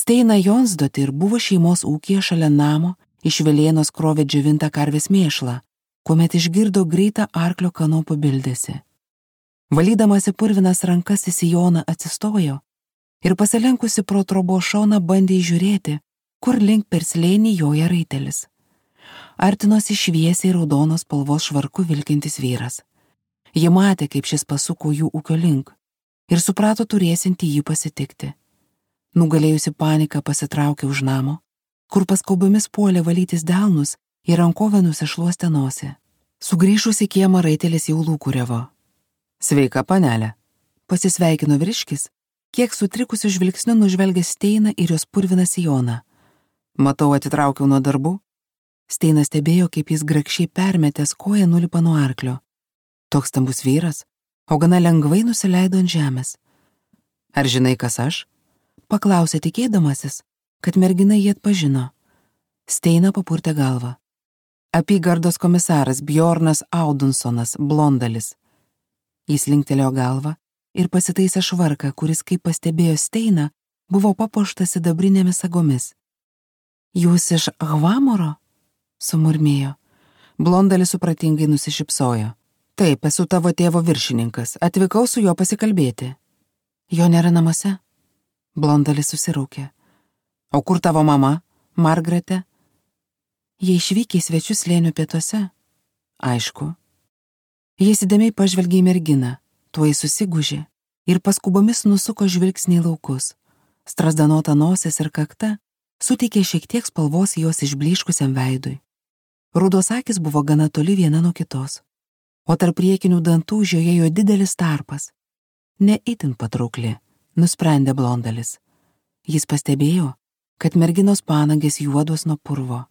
Steina Jonsdotir buvo šeimos ūkyje šalia namo, iš Velėnos krovė džiovintą karvės mėšlą, kuomet išgirdo greitą arklio kanopų bildesį. Valydamasi purvinas rankas į sijoną atsistojo ir pasilenkusi pro trobos šoną bandė žiūrėti, kur link per slėnį joja raitelis. Artinosi šviesiai raudonos spalvos švarku vilkintis vyras. Ji matė, kaip šis pasuko jų ūkio link ir suprato turėsinti jį pasitikti. Nugalėjusi paniką pasitraukė už namo, kur paskaubomis puolė valytis delnus ir rankovę nusišluostė nosį. Sugrįžusi kiemą raitelis jau lūkuriavo. Sveika, panelė, pasisveikino vyriškis, kiek sutrikusiu žvilgsniu nužvelgė Steiną ir jos purviną sijoną. Matau, atitraukiau nuo darbų. Steinas stebėjo, kaip jis grakščiai permetęs koją nulipa nuo arklio. Toks stambus vyras, o gana lengvai nusileido ant žemės. Ar žinai, kas aš? Paklausė tikėdamasis, kad mergina jį atpažino. Steina papurtė galvą. Apygardos komisaras Bjornas Audunsonas, blondalis. Jis linktelėjo galvą ir pasitaisė švarką, kuris, kaip pastebėjo Steina, buvo papuoštas sidabrinėmis sagomis. Jūs iš Hvamoro? Sumurmėjo. Blondalis supratingai nusišypsojo. Taip, esu tavo tėvo viršininkas, atvykau su juo pasikalbėti. Jo nėra namuose? Blondalis susiraukė. O kur tavo mama, Margaretė? Jie išvykė į svečius slėnių pietuose. Aišku. Jis įdėmiai pažvelgė į merginą, tuoj susigūžė ir paskubomis nusuko žvilgsnį į laukus. Strazdanota nosis ir kakta suteikė šiek tiek spalvos jos išblyškusiam veidui. Rudos akis buvo gana toli viena nuo kitos, o tarp priekinių dantų žiojėjo didelis tarpas. Ne itin patraukli, nusprendė blondalis. Jis pastebėjo, kad merginos panagės juodos nuo purvo.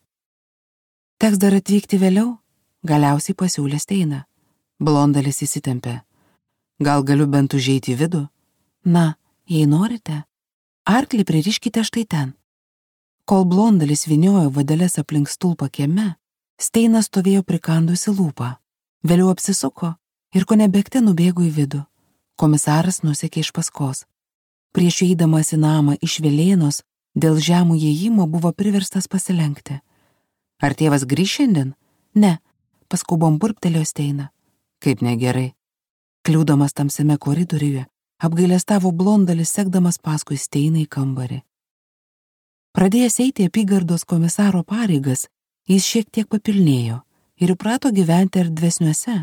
Teks dar atvykti vėliau, galiausiai pasiūlė Steina. Blondalis įsitempė. Gal galiu bent užeiti į vidų? Na, jei norite, arklį pririškite štai ten. Kol blondalis vyniojo vadeles aplink stulpą kieme, Steina stovėjo prikandusi lūpą. Vėliau apsisuko ir kone bėgte nubėgo į vidų. Komisaras nusekė iš paskos. Prieš įeidamas į namą iš Velėnos dėl žemų įėjimo buvo priverstas pasilenkti. Ar tėvas grįš šiandien? Ne, paskubom burptelėjo Steina. Kaip negerai. Kliūdamas tamsiame koridoriuje, apgailestavo blondalis sekdamas paskui Steiną į kambarį. Pradėjęs eiti apygardos komisaro pareigas, jis šiek tiek papilnėjo ir įprato gyventi erdvesniuose,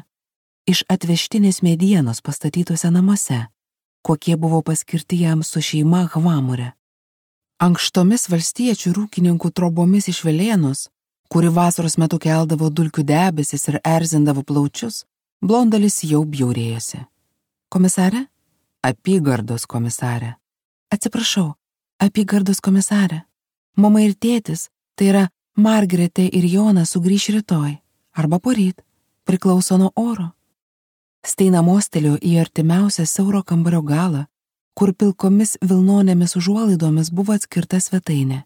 iš atvežtinės medienos pastatytuose namuose, kokie buvo paskirti jam su šeima Hvamore. Ankštomis valstiečių rūkininkų trobomis iš Velėnos, kuri vasaros metu keldavo dulkių debesis ir erzindavo plaučius, blondalis jau bjaurėjosi. Komisarė? Apygardos komisarė. Atsiprašau, apygardos komisarė. Mama ir tėtis, tai yra Margaretė ir Jonas, sugrįš rytoj, arba poryt, priklauso nuo oro. Steina mostelėjo į artimiausią siauro kambario galą, kur pilkomis vilnonėmis užuolaidomis buvo atskirta svetainė.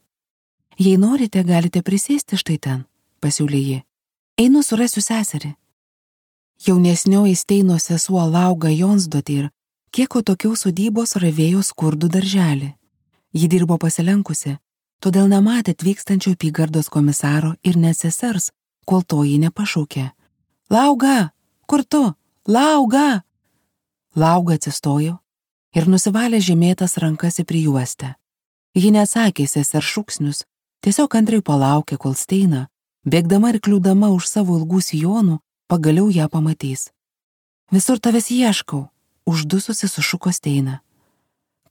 Jei norite, galite prisėsti štai ten, pasiūlė ji. Einu surasiu seserį. Jaunesnioji Steino sesuo Lauga Jonsdotir, kiek atokiau sodybos ravėjo skurdų darželį. Ji dirbo pasilenkusi, todėl nematė atvykstančio apygardos komisaro ir net sesers, kol to jį nepašaukė. Lauga, kur tu? Lauga! Lauga atsistojo ir nusivalė žemėtas rankas į prijuostę. Ji neatsakė sesers šūksnius, tiesiog antrai palaukė, kol Steina, bėgdama ir kliūdama už savo ilgų sijonų, pagaliau ją pamatys. Visur tavęs ieškau, uždususi sušuko Steina.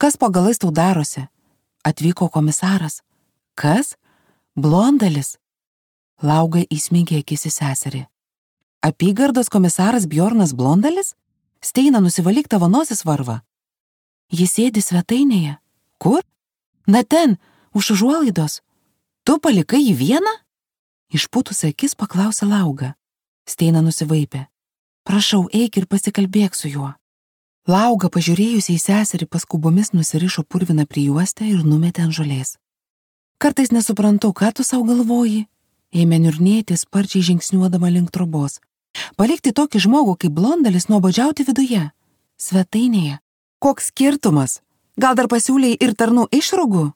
Kas po galais tau darosi? Atvyko komisaras. Kas? Blondalis. Lauga įsmeigė akis į seserį. Apygardos komisaras Bjornas Blondalis? Steina, nusivalyk, tavo nosis varva. Jis sėdi svetainėje. Kur? Na ten, už užuolaidos. Tu palikai jį vieną? Išpūtusi akis paklausė Lauga. Steina nusivaipė. Prašau, eik ir pasikalbėk su juo. Lauga, pažiūrėjusi į seserį, paskubomis nusirišo purviną prijuostę ir numetė ant žolės. Kartais nesuprantu, ką tu savo galvoji, ėmė niurnėti, sparčiai žingsniuodama link trobos. Palikti tokį žmogų kaip Blondalis nuobodžiauti viduje, svetainėje. Koks skirtumas? Gal dar pasiūlei ir tarnų išrogų?